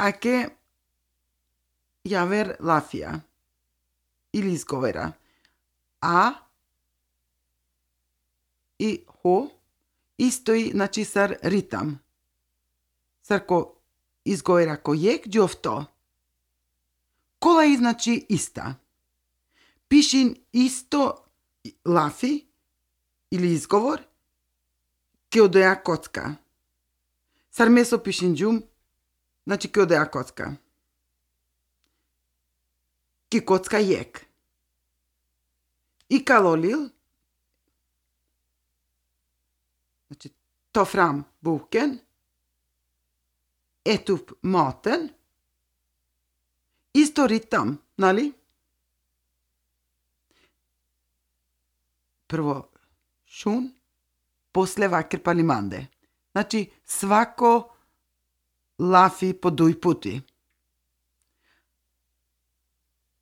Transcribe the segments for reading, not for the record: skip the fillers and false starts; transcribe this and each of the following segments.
Аке јавер лафија или изговера а и хо истои значи сар ритам. Сарко изговера ко јек џофто. Кола и значи иста. Пишин исто лафи или изговор ке одеа коцка. Сар месо пишин џум значи ке одеа коцка. Ке коцка јек. И калолил значи ta fram boken, ät upp maten. Isto ritam, нали? Prvo šun, после вакер палиманде. Значи, свако лафи по дуј пути.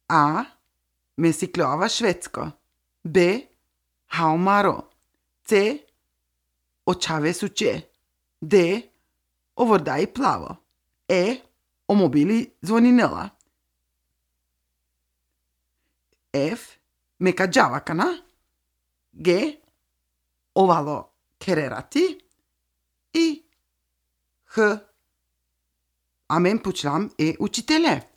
А, ме си клјова шведско. Б, хаумаро. С, очаве суче. Д, овордај плаво. Е, омобили звонинела. Ф, мека џавакана. Г, овало керерати. И Х, амен почнам е учителе.